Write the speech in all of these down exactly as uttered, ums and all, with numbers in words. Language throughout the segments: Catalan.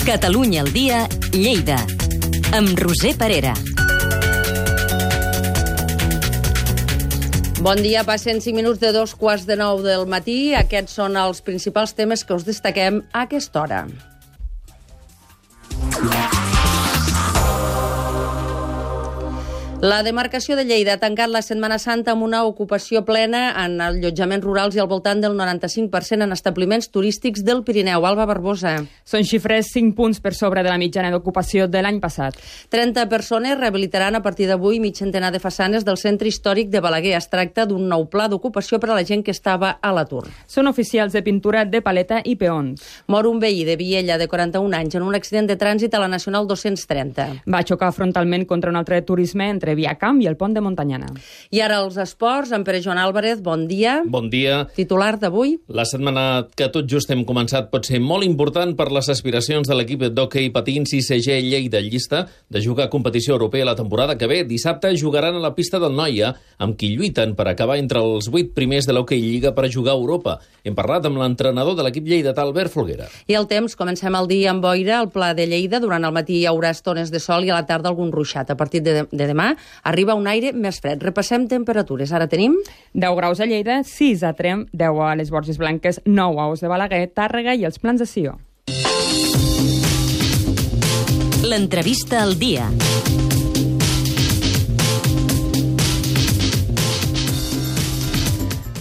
Catalunya al dia, Lleida, amb Roser Parera. Bon dia, passen cinc minuts de dos quarts de nou del matí. Aquests són els principals temes que us destaquem a aquesta hora. La demarcació de Lleida ha tancat la Setmana Santa amb una ocupació plena en allotjaments rurals i al voltant del noranta-cinc per cent en establiments turístics del Pirineu. Alba Barbosa. Són xifres cinc punts per sobre de la mitjana d'ocupació de l'any passat. trenta persones rehabilitaran a partir d'avui mig centenar de façanes del centre històric de Balaguer. Es tracta d'un nou pla d'ocupació per a la gent que estava a l'atur. Són oficials de pintura de paleta i peons. Mor un veí de Viella de quaranta-un anys en un accident de trànsit a la Nacional dos-cents trenta. Va xocar frontalment contra un altre turisme entre Viacamp i el pont de Montanyana. I ara els esports, en Pere Joan Álvarez, bon dia. Bon dia. Titular d'avui. La setmana que tot just hem començat pot ser molt important per les aspiracions de l'equip d'hoquei patins I C G Lleida Llista de jugar a competició europea la temporada que ve. Dissabte jugaran a la pista del Noia, amb qui lluiten per acabar entre els vuit primers de l'hoquei Lliga per jugar a Europa. Hem parlat amb l'entrenador de l'equip lleidatà, Albert Folguera. I el temps, comencem el dia amb boira al Pla de Lleida. Durant el matí hi haurà estones de sol i a la tarda algun ruixat. A partir de, de demà arriba un aire més fred. Repassem temperatures. Ara tenim deu graus a Lleida, sis a Tremp, deu a les Borges Blanques, nou a Os de Balaguer, Tàrrega i els Plans de Sió. L'entrevista al dia.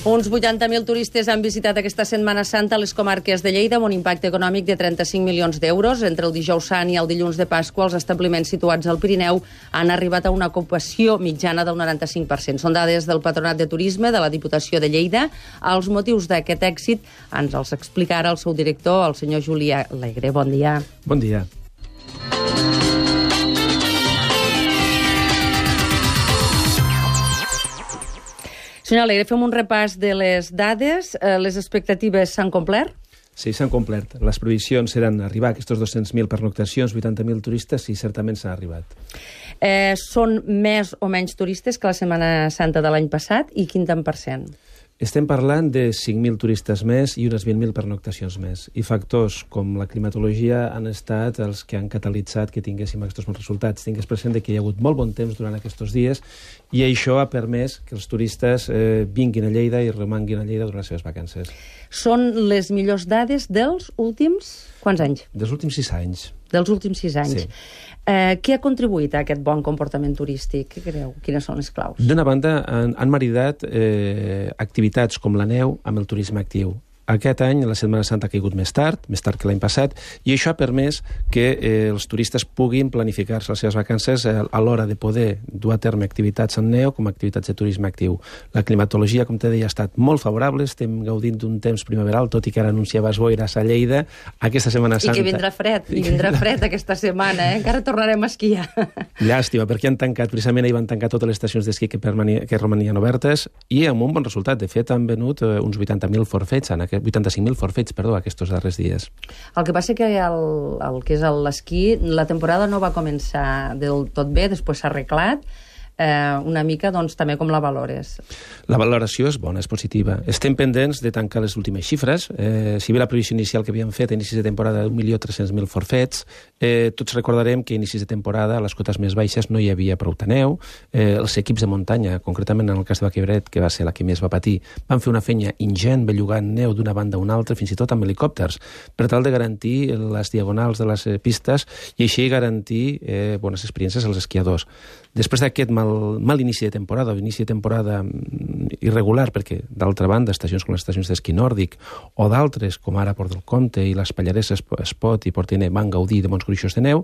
Uns vuitanta mil turistes han visitat aquesta Setmana Santa a les comarques de Lleida amb un impacte econòmic de trenta-cinc milions d'euros. Entre el dijous sant i el dilluns de Pasqua, els establiments situats al Pirineu han arribat a una ocupació mitjana del noranta-cinc per cent. Són dades del Patronat de Turisme de la Diputació de Lleida. Els motius d'aquest èxit ens els explica ara el seu director, el senyor Julià Alegre. Bon dia. Bon dia. Senyor Alegre, fem un repàs de les dades. Les expectatives s'han complert? Sí, s'han complert. Les previsions eren arribar a aquests dos-cents mil pernoctacions, vuitanta mil turistes, i certament s'ha arribat. Eh, són més o menys turistes que la Setmana Santa de l'any passat, i quin tant per cent? Estem parlant de cinc mil turistes més i unes vint mil pernoctacions més. I factors com la climatologia han estat els que han catalitzat que tinguéssim aquests bons resultats. Tingués present que hi ha hagut molt bon temps durant aquests dies i això ha permès que els turistes eh, vinguin a Lleida i romanguin a Lleida durant les seves vacances. Són les millors dades dels últims... Quants anys? Dels últims sis anys. Dels últims sis anys. Sí. Eh, què ha contribuït a aquest bon comportament turístic? Què creu? Quines són les claus? D'una banda, han, han maridat eh, activitats com la neu amb el turisme actiu. Aquest any la Setmana Santa ha caigut més tard, més tard que l'any passat, i això ha permès que eh, els turistes puguin planificar-se les seves vacances eh, a l'hora de poder dur a terme activitats en neu com a activitats de turisme actiu. La climatologia, com te deia, ha estat molt favorable, estem gaudint d'un temps primaveral, tot i que ara anunciaves boires a Lleida, aquesta Setmana Santa... I que vindrà fred, i vindrà fred aquesta setmana, eh? Encara tornarem a esquiar. Llàstima, perquè han tancat, precisament ahir van tancar totes les estacions d'esquí que, que romanien obertes, i amb un bon resultat. De fet, han venut eh, uns vuitanta mil forfets en aquest vuitanta-cinc mil forfets, perdó, aquests darrers dies. El que passa que el, el que és l'esquí, la temporada no va començar del tot bé, després s'ha arreglat, eh, una mica, doncs, també com la valores. La valoració és bona, és positiva. Estem pendents de tancar les últimes xifres. Eh, si bé la previsió inicial que havíem fet a inicis de temporada d'un milió tres-cents mil forfets, eh, tots recordarem que a inicis de temporada a les cotes més baixes no hi havia prou neu. Eh, els equips de muntanya, concretament en el cas de Baquebret, que va ser la que més va patir, van fer una feina ingent bellugant neu d'una banda a una altra, fins i tot amb helicòpters, per tal de garantir les diagonals de les pistes i així garantir eh, bones experiències als esquiadors. Després d'aquest mal, mal inici de temporada, o inici de temporada irregular, perquè d'altra banda estacions com les estacions d'esquí nòrdic o d'altres, com ara Port del Comte i les Pallareses, Espot i Portiner, van gaudir de bons gruixos de neu,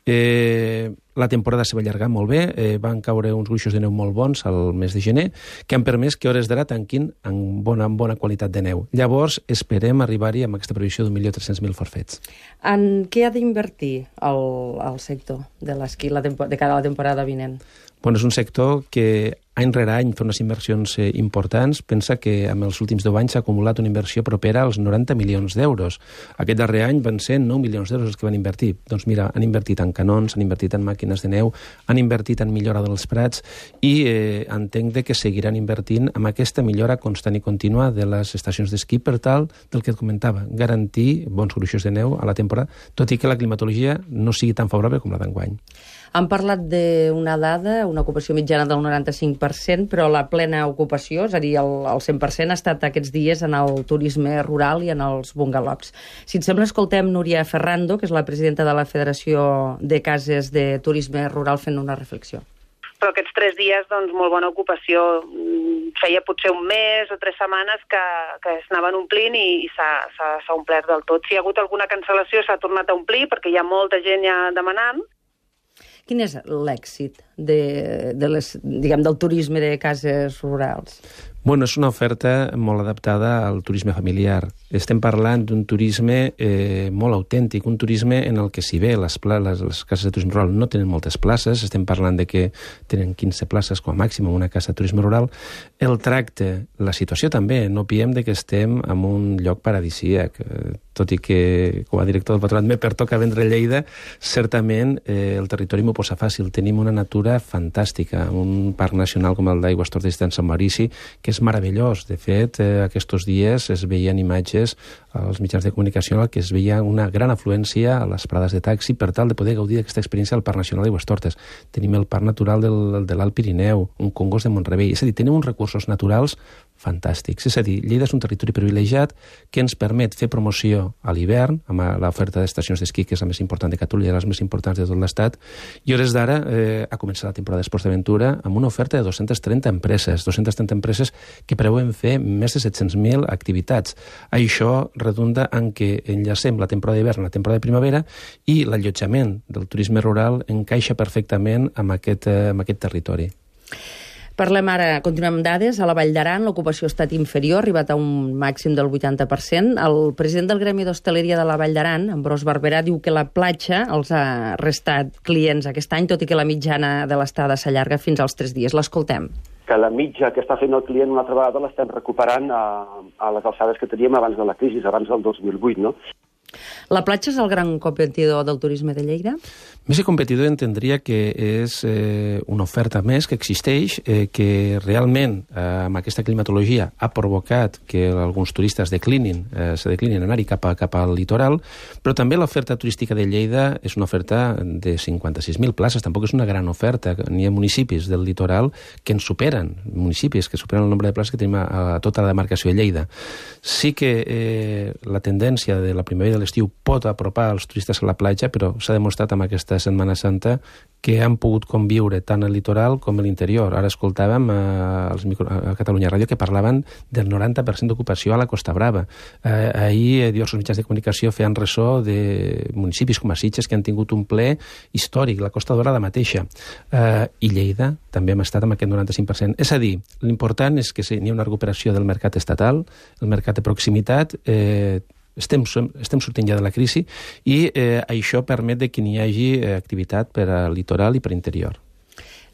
eh, la temporada se va allargar molt bé, eh, van caure uns gruixos de neu molt bons al mes de gener, que han permès que hores d'ara tanquin amb bona, amb bona qualitat de neu. Llavors, esperem arribar-hi amb aquesta previsió d'un milió tres-cents mil forfets. En què ha d'invertir el, el sector de l'esquí de cara a la temporada vinent? Bueno, és un sector que any rere any fer unes inversions eh, importants. Pensa que en els últims deu anys s'ha acumulat una inversió propera als noranta milions d'euros. Aquest darrer any van ser nou milions d'euros els que van invertir. Doncs mira, han invertit en canons, han invertit en màquines de neu, han invertit en millora dels prats i eh, entenc de que seguiran invertint en aquesta millora constant i contínua de les estacions d'esquí per tal del que et comentava, garantir bons gruixos de neu a la temporada, tot i que la climatologia no sigui tan favorable com la d'enguany. Han parlat d'una dada, una ocupació mitjana del noranta-cinc per cent, però la plena ocupació, és a dir, el, el cent per cent ha estat aquests dies en el turisme rural i en els bungalows. Si et sembla, escoltem Núria Ferrando, que és la presidenta de la Federació de Cases de Turisme Rural, fent una reflexió. Però aquests tres dies, doncs, molt bona ocupació. Feia potser un mes o tres setmanes que, que es anaven omplint i, i s'ha omplert del tot. Si hi ha hagut alguna cancel·lació, s'ha tornat a omplir, perquè hi ha molta gent ja demanant. Quin és l'èxit de, de les, diguem, del turisme de cases rurals? Bueno, és una oferta molt adaptada al turisme familiar. Estem parlant d'un turisme eh, molt autèntic, un turisme en el que si bé les, les, les cases de turisme rural no tenen moltes places, estem parlant de que tenen quinze places com a màxim en una casa de turisme rural, el tracte, la situació també, no piem de que estem en un lloc paradisíac, eh, tot i que com a director del Patronat me pertoca vendre Lleida, certament eh, el territori m'ho posa fàcil. Tenim una natura fantàstica, un parc nacional com el d'Aigües Tortes de Sant Maurici, que és meravellós. De fet, eh, aquests dies es veien imatges als mitjans de comunicació en què es veia una gran afluència a les parades de taxi per tal de poder gaudir d'aquesta experiència al Parc Nacional d'Aigües Tortes. Tenim el Parc Natural del, de l'Alt Pirineu, un Congost de Mont-rebei. És a dir, tenim uns recursos naturals fantàstics. És a dir, Lleida és un territori privilegiat que ens permet fer promoció a l'hivern, amb l'oferta d'estacions d'esquí, que és la més important de Catalunya i les més importants de tot l'Estat, i hores d'ara eh, ha començat la temporada d'Esports d'Aventura amb una oferta de dos-centes trenta empreses, dos-centes trenta empreses que preveuen fer més de set-cents mil activitats. Això redunda en què enllacem la temporada d'hivern, la temporada de primavera, i l'allotjament del turisme rural encaixa perfectament amb aquest, eh, amb aquest territori. Parlem ara, continuem amb dades. A la Vall d'Aran l'ocupació ha estat inferior, ha arribat a un màxim del vuitanta per cent. El president del Gremi d'Hostaleria de la Vall d'Aran, Ambrós Barberà, diu que la platja els ha restat clients aquest any, tot i que la mitjana de l'estada s'allarga fins als tres dies. L'escoltem. Que la mitja que està fent el client una altra vegada l'estem recuperant a, a les alçades que teníem abans de la crisi, abans del dos mil vuit, no? La platja és el gran competidor del turisme de Lleida? Més que competidor entendria que és eh, una oferta més que existeix, eh, que realment eh, amb aquesta climatologia ha provocat que alguns turistes declinin, eh, se declinin anar-hi cap, a, cap al litoral, però també l'oferta turística de Lleida és una oferta de cinquanta-sis mil places, tampoc és una gran oferta. N'hi ha municipis del litoral que ens superen, municipis que superen el nombre de places que tenim a, a tota la demarcació de Lleida. Sí que eh, la tendència de la primavera i de l'estiu pot apropar els turistes a la platja, però s'ha demostrat amb aquesta Setmana Santa que han pogut conviure tant al litoral com a l'interior. Ara escoltàvem a, als micro, a Catalunya Ràdio que parlaven del noranta per cent d'ocupació a la Costa Brava. Eh, ahir diversos mitjans de comunicació feien ressò de municipis com a Sitges que han tingut un ple històric, la Costa Dorada mateixa. Eh, I Lleida també hem estat amb aquest noranta-cinc per cent. És a dir, l'important és que n'hi ha una recuperació del mercat estatal, el mercat de proximitat, eh, Estem, estem sortint ja de la crisi i eh, això permet de que n'hi hagi eh, activitat per al litoral i per interior.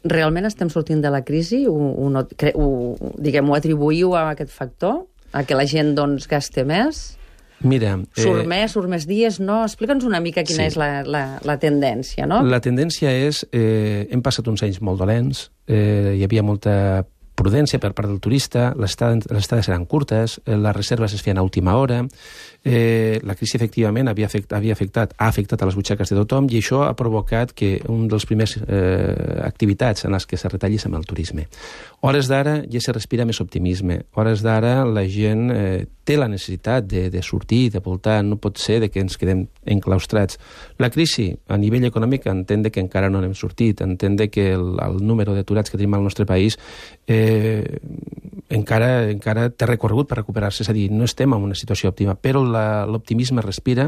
Realment estem sortint de la crisi? Ho, ho, ho, diguem, ho atribuïu a aquest factor? A que la gent doncs, gaste més? Mira... Eh, surt més, surt més dies, no? Explica'ns una mica quina sí. és la, la, la tendència, no? La tendència és... Eh, hem passat uns anys molt dolents, eh, hi havia molta prudència per part del turista, les estades eren curtes, les reserves es feien a última hora, eh, la crisi efectivament havia, afect, havia afectat, ha afectat a les butxaques de tothom i això ha provocat que un dels primers eh, activitats en les que se retallís amb el turisme. Hores d'ara ja se respira més optimisme, hores d'ara la gent eh, té la necessitat de, de sortir, de voltar, no pot ser de que ens quedem enclaustrats. La crisi a nivell econòmic entén que encara no n'hem sortit, entén que el, el número d'aturats que tenim al nostre país eh, encara, encara té recorregut per recuperar-se, és a dir, no estem en una situació òptima, però l'optimisme respira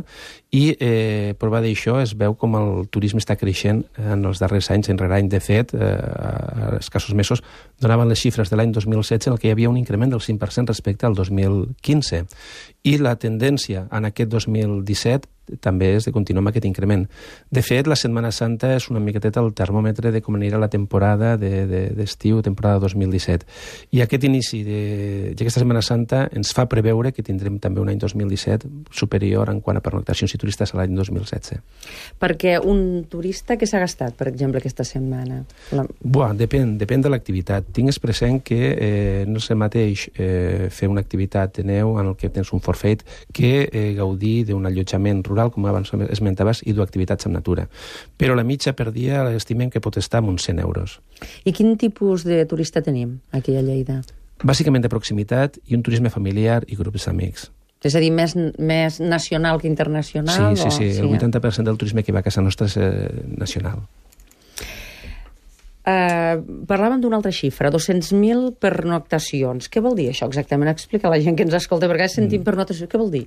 i eh, prova d'això es veu com el turisme està creixent en els darrers anys, en rere any. De fet, eh, a escassos mesos donaven les xifres de l'any dos mil setze en què hi havia un increment del cinc per cent respecte al dos mil quinze. I la tendència en aquest dos mil disset també és de continuar amb aquest increment. De fet, la Setmana Santa és una miqueteta el termòmetre de com anirà la temporada de, de, d'estiu, temporada dos mil disset. I aquest inici d'aquesta Setmana Santa ens fa preveure que tindrem també un any dos mil disset superior en quant a pernoctacions i turistes a l'any dos mil setze. Perquè un turista que s'ha gastat, per exemple, aquesta setmana? La... Buah, depèn, depèn de l'activitat. Tingues present que eh, no és el mateix eh, fer una activitat de neu en el que tens un forfait que eh, gaudir d'un allotjament rural, com abans esmentaves, i dur activitats en natura. Però la mitja per dia l'estimem que pot estar en uns cent euros. I quin tipus de turista tenim aquí a Lleida? Bàsicament de proximitat i un turisme familiar i grups d'amics. És a dir, més, més nacional que internacional? Sí, sí, sí. O... El vuitanta per cent del turisme que va a casa nostra és eh, nacional. Uh, parlàvem d'una altra xifra, dos-cents mil pernoctacions. Què vol dir això exactament? Explica a la gent que ens escolta, perquè sentim mm. pernoctació. Què vol dir?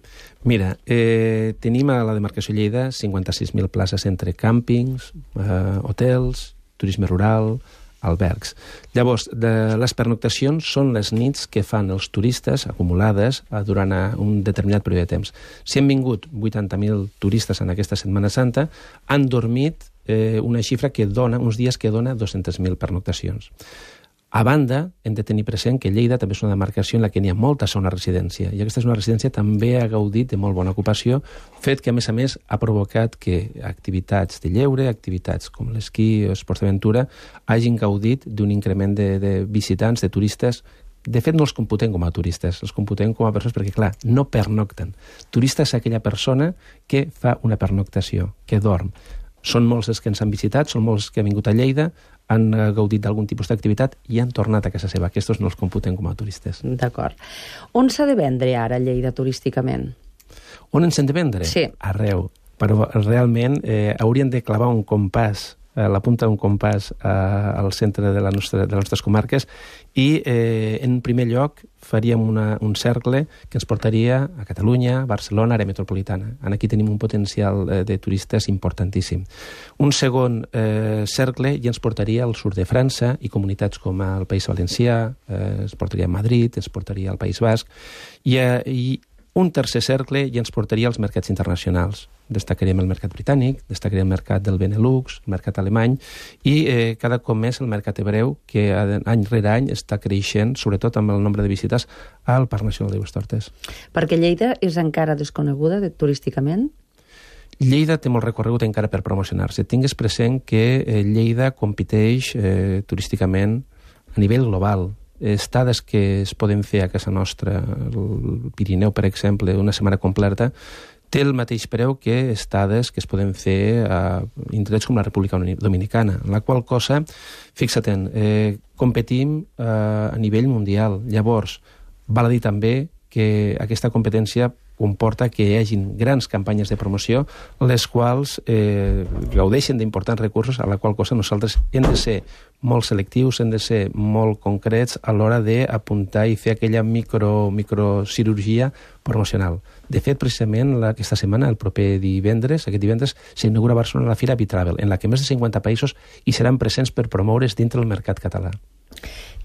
Mira, eh, tenim a la demarcació Lleida cinquanta-sis mil places entre càmpings, eh, hotels, turisme rural, albergs. Llavors, de les pernoctacions són les nits que fan els turistes acumulades eh, durant un determinat període de temps. Si han vingut vuitanta mil turistes en aquesta Setmana Santa, han dormit eh, una xifra que dona, uns dies que dona dos-centes mil pernoctacions. A banda, hem de tenir present que Lleida també és una demarcació en la que n'hi ha molta zona residència, i aquesta és una residència també ha gaudit de molt bona ocupació, fet que, a més a més, ha provocat que activitats de lleure, activitats com l'esquí o esports d'aventura, hagin gaudit d'un increment de, de visitants, de turistes. De fet, no els computem com a turistes, els computem com a persones perquè, clar, no pernocten. Turista és aquella persona que fa una pernoctació, que dorm. Són molts els que ens han visitat, són molts que han vingut a Lleida, han gaudit d'algun tipus d'activitat i han tornat a casa seva. Aquests no els computen com a turistes. D'acord. On s'ha de vendre ara Lleida turísticament? On ens hem de vendre? Sí. Arreu. Però realment eh, hauríem de clavar un compàs, eh, la punta d'un compàs eh, al centre de, la nostra, de les nostres comarques i eh, en primer lloc faríem una, un cercle que ens portaria a Catalunya, Barcelona, àrea metropolitana. Aquí tenim un potencial eh, de turistes importantíssim. Un segon eh, cercle ja ens portaria al sud de França i comunitats com el País Valencià, eh, ens portaria a Madrid, ens portaria al País Basc, i, eh, i un tercer cercle ja ens portaria als mercats internacionals. Destacaríem el mercat britànic, destacaríem el mercat del Benelux, el mercat alemany, i eh, cada cop més el mercat hebreu, que any rere any està creixent, sobretot amb el nombre de visites al Parc Nacional d'Aigües Tortes. Perquè Lleida és encara desconeguda de, turísticament? Lleida té molt recorregut encara per promocionar-se. Tingues present que eh, Lleida competeix eh, turísticament a nivell global. Estades que es poden fer a casa nostra, el Pirineu, per exemple, una setmana completa, té el mateix preu que estades que es poden fer a indrets com la República Dominicana, en la qual cosa, fixa-te'n, eh, competim eh, a nivell mundial. Llavors, val a dir també que aquesta competència comporta que hi hagin grans campanyes de promoció, les quals eh, gaudeixen d'importants recursos, a la qual cosa nosaltres hem de ser molt selectius, hem de ser molt concrets a l'hora d'apuntar i fer aquella micro, microcirurgia promocional. De fet, precisament la, aquesta setmana, el proper divendres, aquest divendres, s'inaugura a Barcelona la Fira Bitravel, en la que més de cinquanta països hi seran presents per promoure's dintre el mercat català.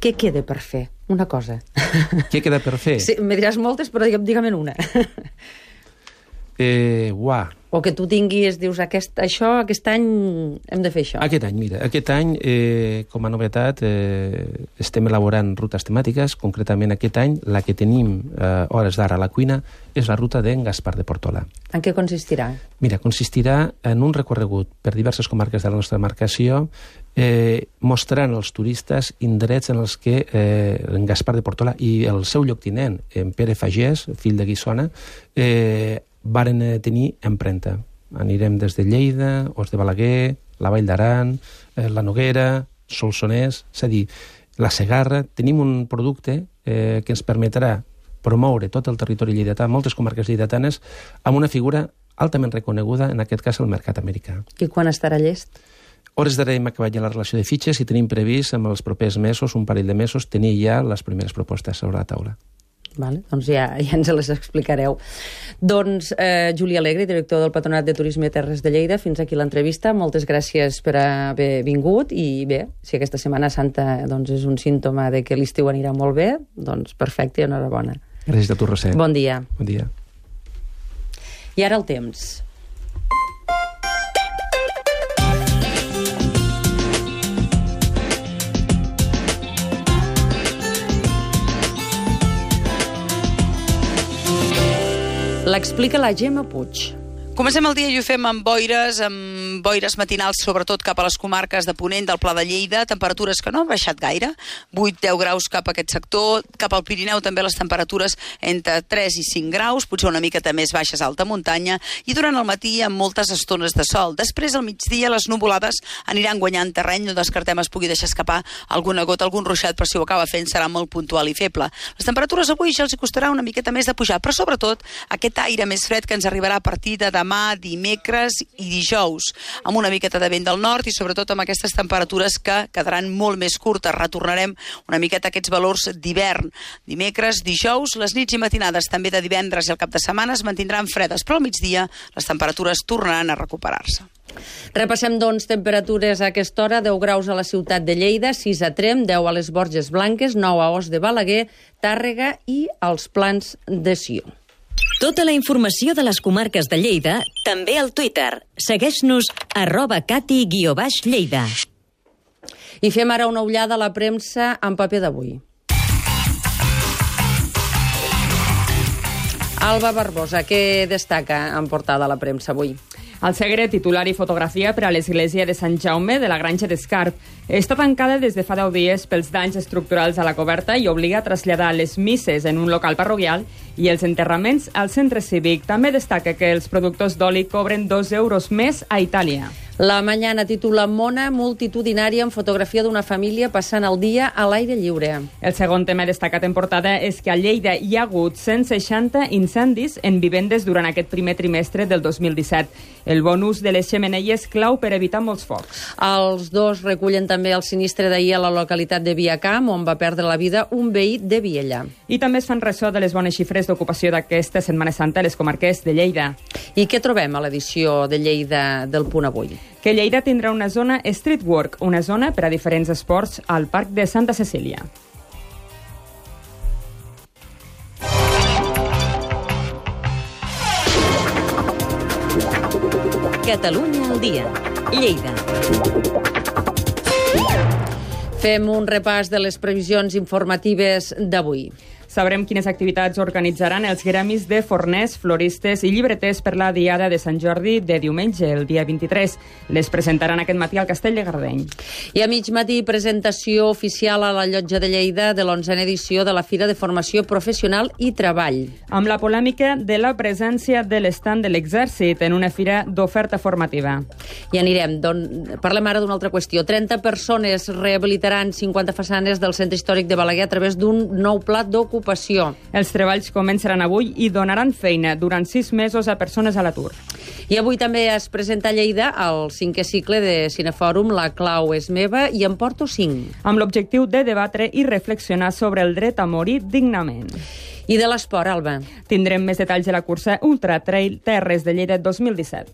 Què queda per fer? Una cosa. Què queda per fer? Sí, me diràs moltes, però digue'm una. Eh, uah. O que tu tinguis, dius, aquest, això, aquest any hem de fer això. Aquest any, mira, aquest any, eh, com a novetat, eh, estem elaborant rutes temàtiques. Concretament, aquest any, la que tenim eh, hores d'ara a la cuina és la ruta d'en Gaspar de Portola. En què consistirà? Mira, consistirà en un recorregut per diverses comarques de la nostra demarcació, eh, mostrant als turistes indrets en els que eh, en Gaspar de Portola i el seu lloctinent, en Pere Fagès, fill de Guissona, eh, varen tenir empremta. Anirem des de Lleida, Os de Balaguer, la Vall d'Aran, eh, la Noguera, Solsonès, és a dir, la Segarra. Tenim un producte eh, que ens permetrà promoure tot el territori lleidatà, moltes comarques lleidatanes, amb una figura altament reconeguda, en aquest cas el mercat americà. I quan estarà llest? Hores d'ara hem acabat ja la relació de fitxes i tenim previst, en els propers mesos, un parell de mesos, tenir ja les primeres propostes sobre la taula. Vale, doncs ja, ja ens les explicareu. Doncs eh, Juli Alegre, director del Patronat de Turisme i Terres de Lleida, fins aquí l'entrevista. Moltes gràcies per haver vingut i bé, si aquesta Setmana Santa doncs, és un símptoma de que l'estiu anirà molt bé, doncs perfecte i enhorabona. Gràcies a tu, Roser. Bon dia. Bon dia. I ara el temps. L'explica la Gemma Puig. Comencem el dia i ho fem amb boires, amb boires matinals, sobretot cap a les comarques de Ponent, del Pla de Lleida, temperatures que no han baixat gaire, vuit a deu graus cap a aquest sector, cap al Pirineu també les temperatures entre tres i cinc graus, potser una miqueta més baixes a alta muntanya, i durant el matí amb moltes estones de sol. Després, al migdia, les nuvolades aniran guanyant terreny, no descartem es pugui deixar escapar alguna gota, algun ruixat, però si ho acaba fent serà molt puntual i feble. Les temperatures avui ja els hi costarà una miqueta més de pujar, però sobretot aquest aire més fred que ens arribarà a partir de demà, dimecres i dijous, amb una miqueta de vent del nord i sobretot amb aquestes temperatures que quedaran molt més curtes. Retornarem una miqueta a aquests valors d'hivern. Dimecres, dijous, les nits i matinades també de divendres i el cap de setmana es mantindran fredes, però al migdia les temperatures tornaran a recuperar-se. Repassem, doncs, temperatures a aquesta hora. deu graus a la ciutat de Lleida, sis a Tremp, deu a les Borges Blanques, nou a Os de Balaguer, Tàrrega i als Plans de Sió. Tota la informació de les comarques de Lleida, també al Twitter. Segueix-nos arroba cati guió baix Lleida. I fem ara una ullada a la premsa en paper d'avui. Alba Barbosa, què destaca en portada a la premsa avui? El Segre, titular i fotografia per a l'església de Sant Jaume de la Granja d'Escarp. Està tancada des de fa deu dies pels danys estructurals a la coberta i obliga a traslladar les misses en un local parroquial i els enterraments al centre cívic. També destaca que els productors d'oli cobren dos euros més a Itàlia. La Mañana titula Mona multitudinària en fotografia d'una família passant el dia a l'aire lliure. El segon tema destacat en portada és que a Lleida hi ha hagut cent seixanta incendis en vivendes durant aquest primer trimestre del dos mil disset. El bon ús de les xemeneies clau per evitar molts focs. Els dos recullen també el sinistre d'ahir a la localitat de Viacamp, on va perdre la vida un veí de Viella. I també es fan ressò de les bones xifres d'ocupació d'aquesta Setmana Santa a les comarques de Lleida. I què trobem a l'edició de Lleida del Punt Avui? Que Lleida tindrà una zona street work, una zona per a diferents esports al Parc de Santa Cecília. Catalunya al dia. Lleida. Fem un repàs de les previsions informatives d'avui. Sabrem quines activitats organitzaran els gremis de forners, floristes i llibreters per la Diada de Sant Jordi de diumenge, el dia vint-i-tres. Les presentaran aquest matí al Castell de Gardeny. I a mig matí, presentació oficial a la Llotja de Lleida de l'onzena edició de la Fira de Formació Professional i Treball. Amb la polèmica de la presència de l'estand de l'Exèrcit en una fira d'oferta formativa. I anirem. Don... Parlem ara d'una altra qüestió. trenta persones rehabilitaran cinquanta façanes del Centre Històric de Balaguer a través d'un nou pla d'ocupació. Els treballs començaran avui i donaran feina durant sis mesos a persones a l'atur. I avui també es presenta a Lleida el cinquè cicle de Cinefòrum La clau és meva i en porto cinc. Amb l'objectiu de debatre i reflexionar sobre el dret a morir dignament. I de l'esport, Alba? Tindrem més detalls de la cursa Ultra Trail Terres de Lleida dos mil disset.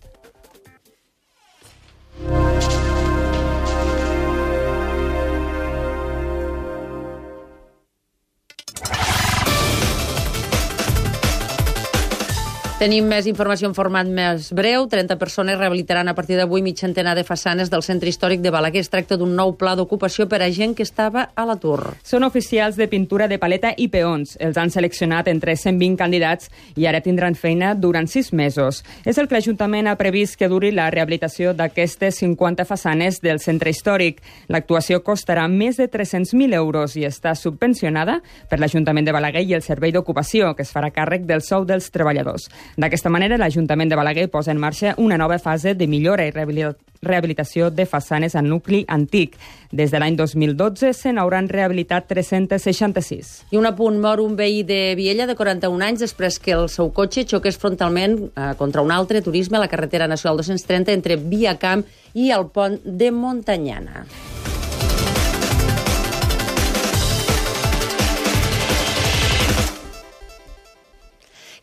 Tenim més informació en format més breu. trenta persones rehabilitaran a partir d'avui mig centenar de façanes del Centre Històric de Balaguer. Es tracta d'un nou pla d'ocupació per a gent que estava a l'atur. Són oficials de pintura de paleta i peons. Els han seleccionat entre cent vint candidats i ara tindran feina durant sis mesos. És el que l'Ajuntament ha previst que duri la rehabilitació d'aquestes cinquanta façanes del Centre Històric. L'actuació costarà més de tres-cents mil euros i està subvencionada per l'Ajuntament de Balaguer i el Servei d'Ocupació, que es farà càrrec del sou dels treballadors. D'aquesta manera, l'Ajuntament de Balaguer posa en marxa una nova fase de millora i rehabilitació de façanes al nucli antic. Des de l'any dos mil dotze se n'hauran rehabilitat tres-cents seixanta-sis. I un apunt, mor un veí de Viella de quaranta-un anys després que el seu cotxe xoqués frontalment eh, contra un altre turisme a la carretera nacional dos-cents trenta entre Viacamp i el pont de Montanyana.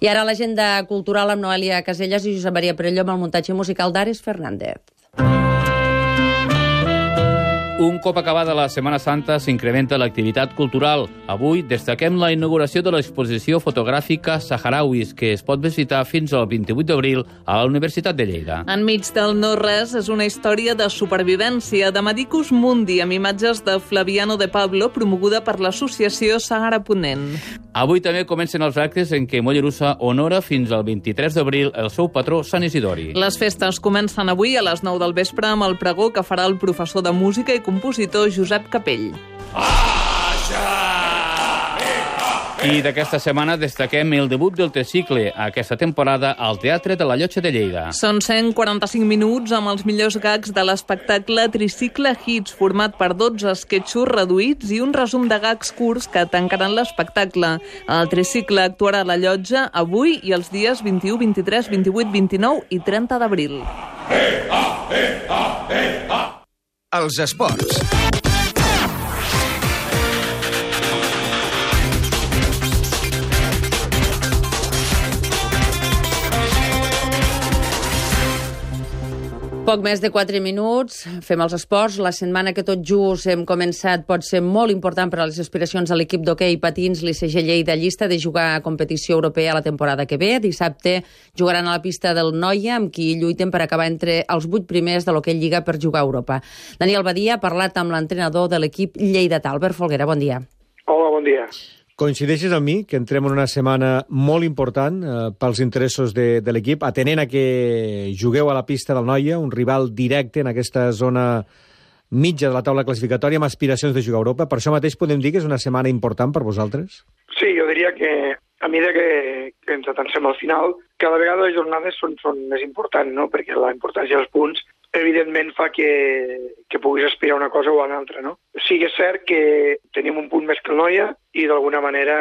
I ara l'agenda cultural amb Noelia Casellas i Josep Maria Perelló amb el muntatge musical d'Ares Fernández. Un cop acabada la Setmana Santa s'incrementa l'activitat cultural. Avui destaquem la inauguració de l'exposició fotogràfica Saharauis, que es pot visitar fins al vint-i-vuit d'abril a la Universitat de Lleida. Enmig del no-res és una història de supervivència de Medicus Mundi amb imatges de Flaviano de Pablo promoguda per l'associació Sàhara Ponent. Avui també comencen els actes en què Mollerussa honora fins al vint-i-tres d'abril el seu patró Sant Isidori. Les festes comencen avui a les nou del vespre amb el pregó que farà el professor de música i compositor Josep Capell. I d'aquesta setmana destaquem el debut del tricicle aquesta temporada al Teatre de la Llotja de Lleida. Són cent quaranta-cinc minuts amb els millors gags de l'espectacle Tricicle Hits, format per dotze esquetxos reduïts i un resum de gags curts que tancaran l'espectacle. El tricicle actuarà a la Llotja avui i els dies vint-i-u, vint-i-tres, vint-i-vuit, vint-i-nou i trenta d'abril. Els esports. Poc més de quatre minuts, fem els esports. La setmana que tot just hem començat pot ser molt important per a les aspiracions de l'equip d'hoquei patins l'I C G Lleida llista de jugar a competició europea la temporada que ve. Dissabte jugaran a la pista del Noia, amb qui lluiten per acabar entre els vuit primers de l'hoquei Lliga per jugar a Europa. Daniel Badia ha parlat amb l'entrenador de l'equip lleidatà, Albert Folguera. Bon dia. Hola, bon dia. Coincideixes amb mi que entrem en una setmana molt important eh, pels interessos de, de l'equip, atenent a que jugueu a la pista del Noia, un rival directe en aquesta zona mitja de la taula classificatòria amb aspiracions de jugar a Europa. Per això mateix podem dir que és una setmana important per vosaltres? Sí, jo diria que a mesura que, que ens atansem al final, cada vegada les jornades són, són més importants, no? Perquè la importància dels punts evidentment fa que, que puguis aspirar a una cosa o a una altra, no? Sí que és cert que tenim un punt més que el Noia i d'alguna manera,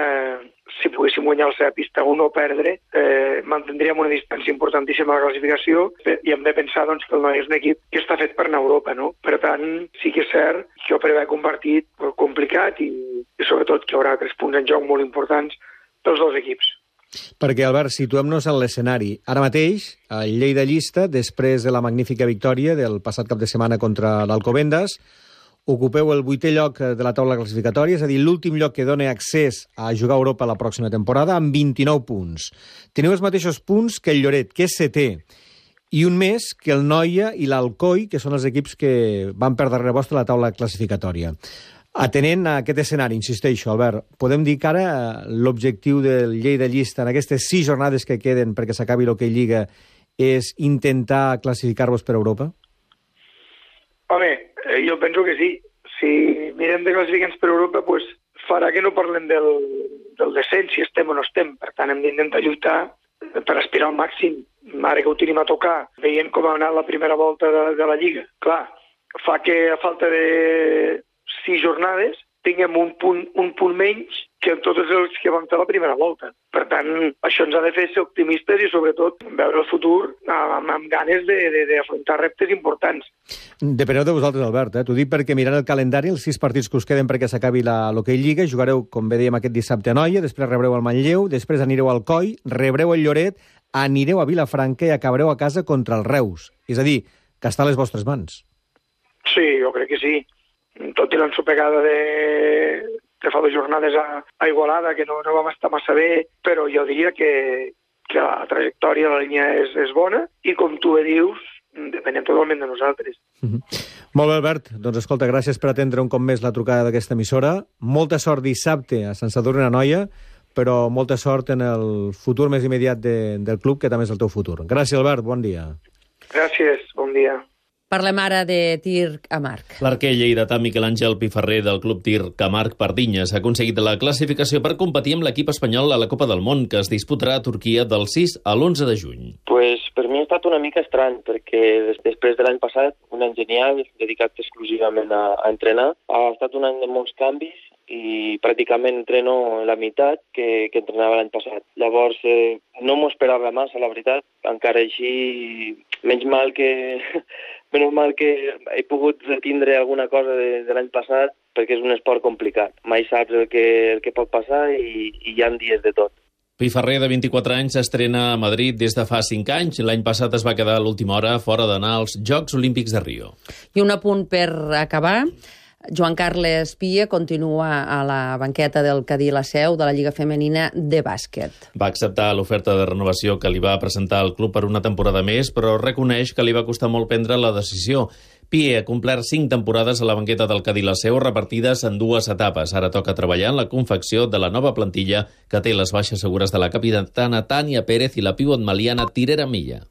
si poguéssim guanyar la seva pista o no perdre, eh, mantindríem una distància importantíssima a la classificació i hem de pensar doncs, que el Noia és un equip que està fet per anar a Europa, no? Per tant, sí que és cert que jo prevec un partit complicat i, i sobretot que hi haurà tres punts en joc molt importants dels dos equips. Perquè, Albert, situem-nos en l'escenari. Ara mateix, el Lleida llista, després de la magnífica victòria del passat cap de setmana contra l'Alcobendas, ocupeu el vuitè lloc de la taula classificatòria, és a dir, l'últim lloc que dona accés a jugar a Europa la pròxima temporada, amb vint-i-nou punts. Teniu els mateixos punts que el Lloret, que és setè, i un més que el Noia i l'Alcoi, que són els equips que van per darrere vostre a la taula classificatòria. Atenent a aquest escenari, insisteixo, Albert, podem dir que ara l'objectiu del Lleida llista en aquestes sis jornades que queden perquè s'acabi l'hoquei Lliga és intentar classificar-vos per Europa? Home, jo penso que sí. Si mirem de classificar-nos per Europa, pues, farà que no parlem del, del descens, si estem o no estem. Per tant, hem d'intentar lluitar per aspirar al màxim. Ara que ho tenim a tocar, veient com ha anat la primera volta de, de la Lliga. Clar, fa que a falta de sis jornades tinguem un punt, un punt menys que en tots els que vam fer la primera volta. Per tant, això ens ha de fer ser optimistes i, sobretot, veure el futur amb, amb ganes d'afrontar reptes importants. Depeneu de vosaltres, Albert. Eh? T'ho dic perquè mirant el calendari, els sis partits que us queden perquè s'acabi l'hoquei Lliga, jugareu, com bé dèiem, aquest dissabte a Noia, després rebreu el Manlleu, després anireu al Coi, rebreu el Lloret, anireu a Vilafranca i acabareu a casa contra el Reus. És a dir, que està a les vostres mans. Sí, jo crec que sí. Tot i l'ensopegada de, de fa dues jornades a, a Igualada, que no, no vam estar massa bé, però jo diria que, que la trajectòria, la línia és, és bona i, com tu bé dius, depenem totalment de nosaltres. Mm-hmm. Molt bé, Albert. Doncs escolta, gràcies per atendre un cop més la trucada d'aquesta emissora. Molta sort dissabte a Sant Sadurní d'Anoia, però molta sort en el futur més immediat de, del club, que també és el teu futur. Gràcies, Albert. Bon dia. Gràcies. Bon dia. Parlem ara de tir a Marc. L'arquer lleidatà Miquel Àngel Piferrer del Club Tir Camarc Pardinyes ha aconseguit la classificació per competir amb l'equip espanyol a la Copa del Món, que es disputarà a Turquia del sis a l'onze de juny. Pues per mi ha estat una mica estrany, perquè després de l'any passat, un any genial, dedicat exclusivament a, a entrenar, ha estat un any de molts canvis i pràcticament entreno la meitat que, que entrenava l'any passat. Llavors, eh, no m'ho esperava massa, la veritat. Encara així, menys mal que... menys mal que he pogut retindre alguna cosa de, de l'any passat, perquè és un esport complicat. Mai saps el que, el que pot passar i, i hi ha dies de tot. Piferrer, de vint-i-quatre anys, s'estrena a Madrid des de fa cinc anys. L'any passat es va quedar a l'última hora fora d'anar als Jocs Olímpics de Rio. I un apunt per acabar. Joan Carles Pia continua a la banqueta del Cadí la Seu de la Lliga Femenina de bàsquet. Va acceptar l'oferta de renovació que li va presentar el club per una temporada més, però reconeix que li va costar molt prendre la decisió. Pia ha complert cinc temporades a la banqueta del Cadí la Seu, repartides en dues etapes. Ara toca treballar en la confecció de la nova plantilla que té les baixes segures de la capitana Tània Pérez i la pivot maliana Tirera Milla.